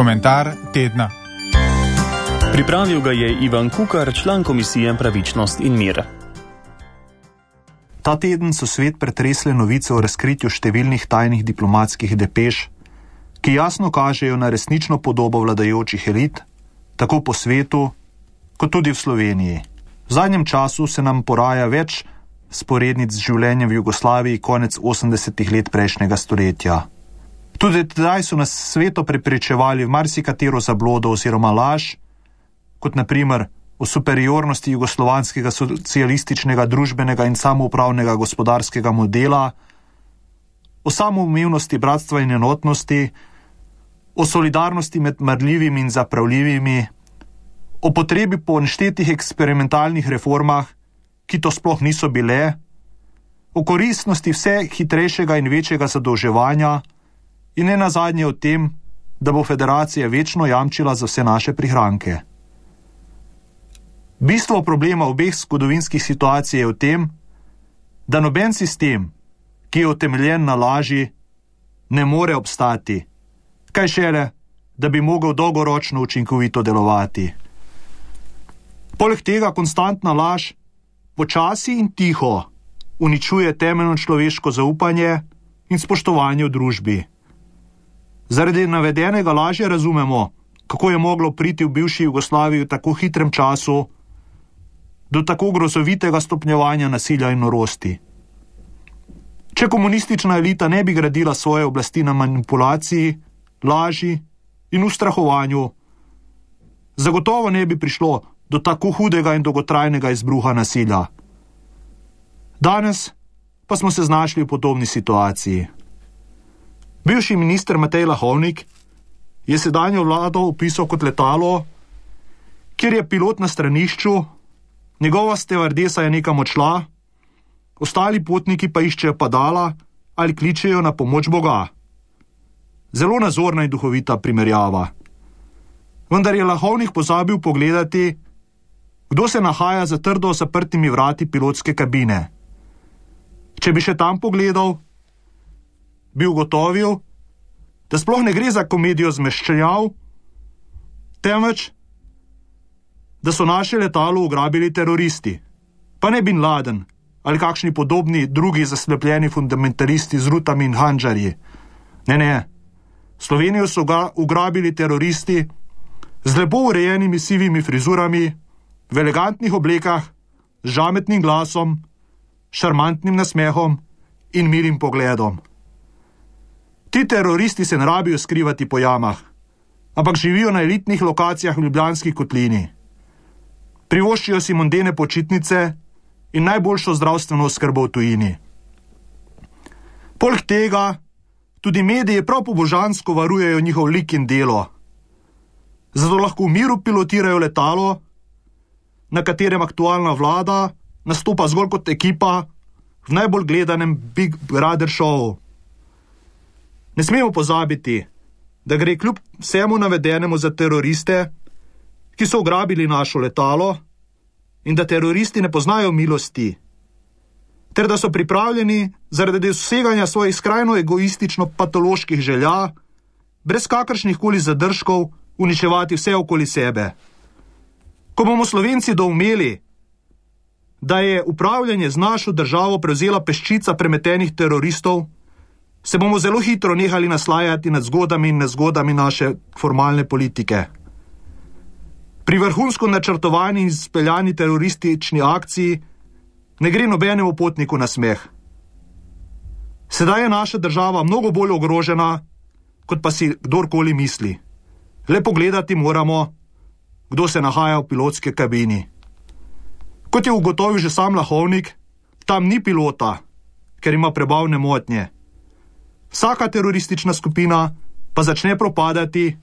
Komentar tedna. Pripravil ga je Ivan Kukar, član Komisije Pravičnost in mir. Ta teden so svet pretresle novice o razkritju številnih tajnih diplomatskih depeš, ki jasno kažejo na resnično podobo vladajočih elit, tako po svetu, kot tudi v Sloveniji. V zadnjem času se nam poraja več sporednic z življenjem v Jugoslaviji konec 80. let prejšnjega stoletja. Tudi tedaj so nas sveto prepričevali v marsikatero zablodo oziroma laž, kot na primer o superiornosti jugoslovanskega socialističnega, družbenega in samoupravnega gospodarskega modela, o samoumevnosti bratstva in enotnosti, o solidarnosti med marljivimi in zapravljivimi, o potrebi po neštetih eksperimentalnih reformah, ki to sploh niso bile, o koristnosti vse hitrejšega in večjega zadolževanja in ne nazadnje o tem, da bo federacija večno jamčila za vse naše prihranke. Bistvo problema obeh zgodovinskih situacij je v tem, da noben sistem, ki je utemeljen na laži, ne more obstati, kaj šele, da bi mogel dolgoročno učinkovito delovati. Poleg tega konstantna laž počasi in tiho uničuje temeljno človeško zaupanje in spoštovanje v družbi. Zaradi navedenega lažje razumemo, kako je moglo priti v bivši Jugoslaviji v tako hitrem času do tako grozovitega stopnjevanja nasilja in norosti. Če komunistična elita ne bi gradila svoje oblasti na manipulaciji, laži in ustrahovanju, zagotovo ne bi prišlo do tako hudega in dolgotrajnega izbruha nasilja. Danes pa smo se znašli v podobni situaciji. Bivši minister Matej Lahovnik je sedanjo vlado opisal kot letalo, kjer je pilot na stranišču, njegova stevardesa je nekam odšla, ostali potniki pa iščejo padala ali kličejo na pomoč Boga. Zelo nazorna in duhovita primerjava. Vendar je Lahovnik pozabil pogledati, kdo se nahaja za trdo zaprtimi vrati pilotske kabine. Če bi še tam pogledal, bi ugotovil, da sploh ne gre za komedijo zmeščenjav, temveč, da so naše letalo ugrabili teroristi. Pa ne Bin Laden ali kakšni podobni drugi zaslepljeni fundamentalisti z rutami in handžarji. Ne. Slovenijo so ugrabili teroristi z lepo urejenimi sivimi frizurami, v elegantnih oblekah, z žametnim glasom, šarmantnim nasmehom in milim pogledom. Ti teroristi se ne rabijo skrivati po jamah, ampak živijo na elitnih lokacijah v Ljubljanski kotlini. Privoščijo si mondene počitnice in najboljšo zdravstveno oskrbo v tujini. Poleg tega tudi mediji prav pobožansko varujejo njihov lik in delo. Zato lahko v miru pilotirajo letalo, na katerem aktualna vlada nastopa zgolj kot ekipa v najbolj gledanem Big Brother šovu. Ne smemo pozabiti, da gre kljub vsemu navedenemu za teroriste, ki so ugrabili našo letalo in da teroristi ne poznajo milosti, ter da so pripravljeni zaradi doseganja svojih skrajno egoistično patoloških želja, brez kakršnih koli zadržkov, uničevati vse okoli sebe. Ko bomo Slovenci doumeli, da je upravljanje z našo državo prevzela peščica premetenih teroristov, se bomo zelo hitro nehali naslajati nad zgodami in nezgodami naše formalne politike. Pri vrhunsko načrtovani in speljani teroristični akciji ne gre nobenemu potniku na smeh. Sedaj je naša država mnogo bolj ogrožena, kot pa si kdorkoli misli. Le pogledati moramo, kdo se nahaja v pilotski kabini. Kot je ugotovil že sam Lahovnik, tam ni pilota, ker ima prebavne motnje. Vsaka teroristična skupina pa začne propadati,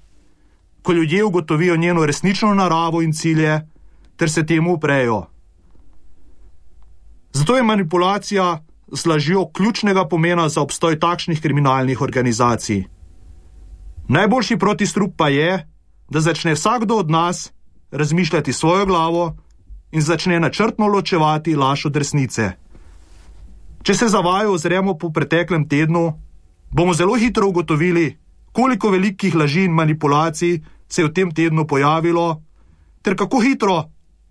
ko ljudje ugotovijo njeno resnično naravo in cilje, ter se temu uprejo. Zato je manipulacija z lažjo ključnega pomena za obstoj takšnih kriminalnih organizacij. Najboljši protistrup pa je, da začne vsakdo od nas razmišljati svojo glavo in začne načrtno ločevati laž od resnice. Če se za vaju ozremo po preteklem tednu, bomo zelo hitro ugotovili, koliko velikih laži in manipulacij se je v tem tednu pojavilo, ter kako hitro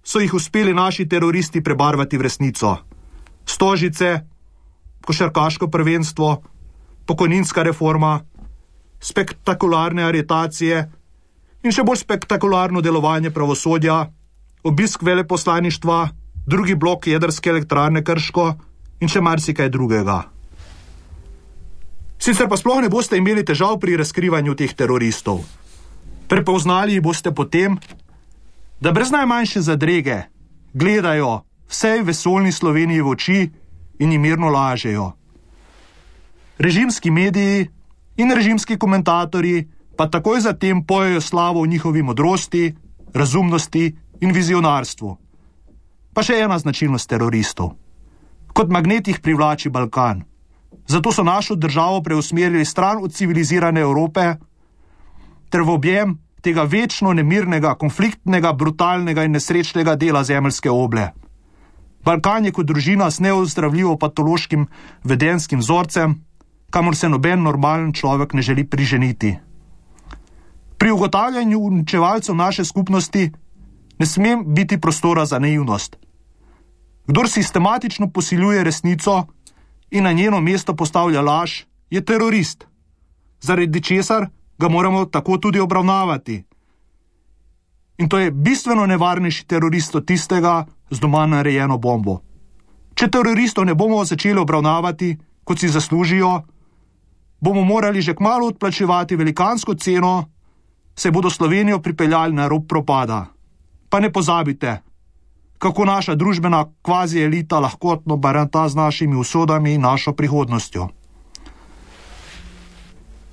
so jih uspeli naši teroristi prebarvati v resnico. Stožice, košarkaško prvenstvo, pokojninska reforma, spektakularne aretacije in še bolj spektakularno delovanje pravosodja, obisk veleposlaništva, drugi blok jedrske elektrarne Krško in še marsikaj drugega. Sicer pa sploh ne boste imeli težav pri razkrivanju teh teroristov. Prepoznali jih boste potem, da brez najmanjše zadrege gledajo vsej vesoljni Sloveniji v oči in jim mirno lažejo. Režimski mediji in režimski komentatorji pa takoj zatem pojejo slavo o njihovi modrosti, razumnosti in vizionarstvu. Pa še ena značilnost teroristov. Kot magnet jih privlači Balkan. Zato so našo državo preusmerili stran od civilizirane Evrope ter v objem tega večno nemirnega, konfliktnega, brutalnega in nesrečnega dela zemeljske oble. Balkan je kot družina s neozdravljivo patološkim vedenskim vzorcem, kamor se noben normalen človek ne želi priženiti. Pri ugotavljanju uničevalcev naše skupnosti ne sme biti prostora za naivnost. Kdor sistematično posiljuje resnico in na njeno mesto postavlja laž, je terorist, zaradi česar ga moramo tako tudi obravnavati. In to je bistveno nevarnejši terorist od tistega z doma narejeno bombo. Če teroristov ne bomo začeli obravnavati, kot si zaslužijo, bomo morali že kmalu odplačevati velikansko ceno, se bodo Slovenijo pripeljali na rob propada. Pa ne pozabite, kako naša družbena kvazi elita lahkotno baranta z našimi usodami in našo prihodnostjo.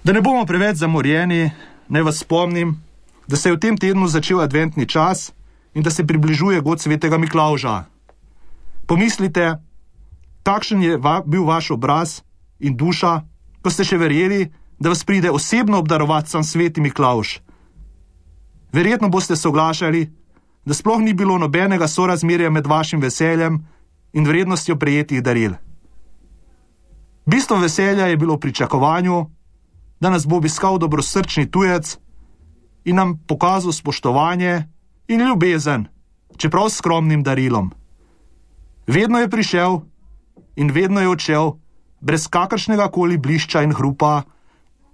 Da ne bomo preveč zamorjeni, naj vas spomnim, da se je v tem tednu začel adventni čas in da se približuje god svetega Miklavža. Pomislite, kakšen je bil vaš obraz in duša, ko ste še verjeli, da vas pride osebno obdarovati sam sveti Miklavž. Verjetno boste soglašali, da sploh ni bilo nobenega sorazmerja med vašim veseljem in vrednostjo prejetih daril. Bistvo veselja je bilo v pričakovanju, da nas bo obiskal dobrosrčni tujec in nam pokazal spoštovanje in ljubezen, čeprav s skromnim darilom. Vedno je prišel in vedno je odšel, brez kakršnega koli blišča in hrupa,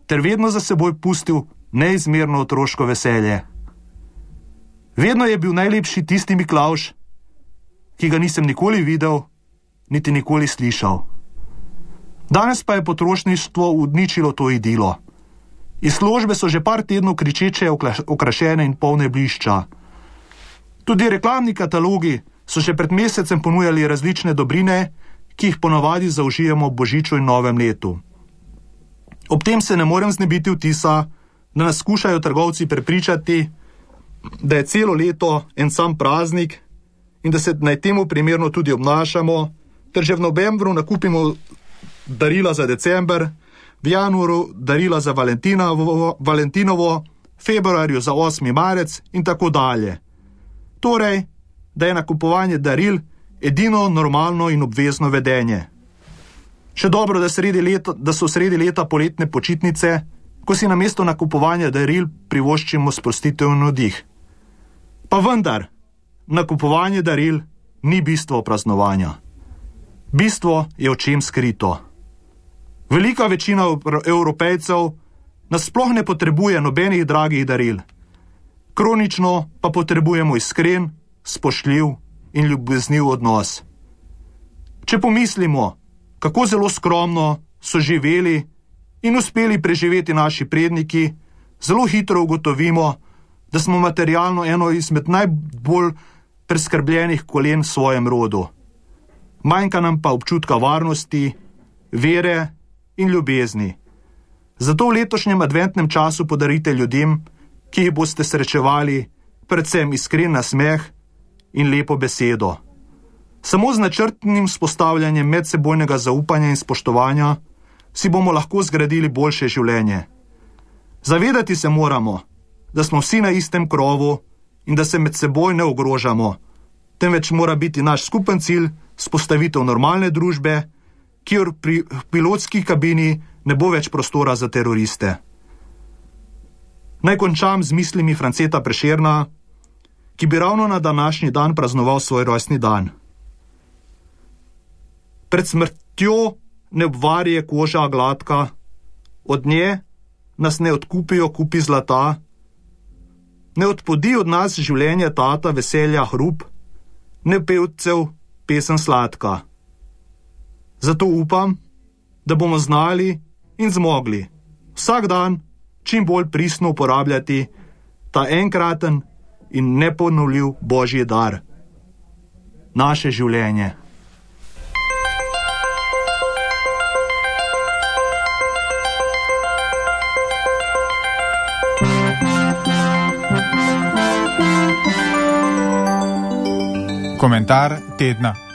ter vedno za seboj pustil neizmerno otroško veselje. Vedno je bil najlepši tisti Miklavž, ki ga nisem nikoli videl, niti nikoli slišal. Danes pa je potrošništvo uničilo to idilo. Izložbe so že par tednov kričeče okrašene in polne blišča. Tudi reklamni katalogi so še pred mesecem ponujali različne dobrine, ki jih ponavadi zaužijemo ob božiču in novem letu. Ob tem se ne morem znebiti vtisa, da nas skušajo trgovci prepričati, da je celo leto en sam praznik in da se naj temu primerno tudi obnašamo, ter že v novembru nakupimo darila za december, v januaru darila za Valentinovo, februarju za 8. marec in tako dalje. Torej, da je nakupovanje daril edino normalno in obvezno vedenje. Še dobro, da so sredi leta poletne počitnice, ko si namesto nakupovanja daril privoščimo sprostitev in oddih. Pa vendar, nakupovanje daril ni bistvo praznovanja. Bistvo je v čem skrito. Velika večina Evropejcev nas sploh ne potrebuje nobenih dragih daril. Kronično pa potrebujemo iskren, spoštljiv in ljubezniv odnos. Če pomislimo, kako zelo skromno so živeli in uspeli preživeti naši predniki, zelo hitro ugotovimo, da smo materialno eno izmed najbolj preskrbljenih kolen v svojem rodu. Manjka nam pa občutka varnosti, vere in ljubezni. Zato v letošnjem adventnem času podarite ljudem, ki jih boste srečevali, predvsem iskren nasmeh in lepo besedo. Samo z načrtnim vzpostavljanjem medsebojnega zaupanja in spoštovanja si bomo lahko zgradili boljše življenje. Zavedati se moramo, da smo vsi na istem krovu in da se med seboj ne ogrožamo, temveč mora biti naš skupen cilj vzpostavitev normalne družbe, kjer pri pilotski kabini ne bo več prostora za teroriste. Naj končam z mislimi Franceta Prešerna, ki bi ravno na današnji dan praznoval svoj rojstni dan. Pred smrtjo ne obvarje koža gladka, od nje nas ne odkupijo kupi zlata, ne odpodi od nas življenje tata veselja hrup, ne pevcev pesem sladka. Zato upam, da bomo znali in zmogli vsak dan čim bolj pristno uporabljati ta enkraten in neponovljiv božji dar, naše življenje. Komentar tedna.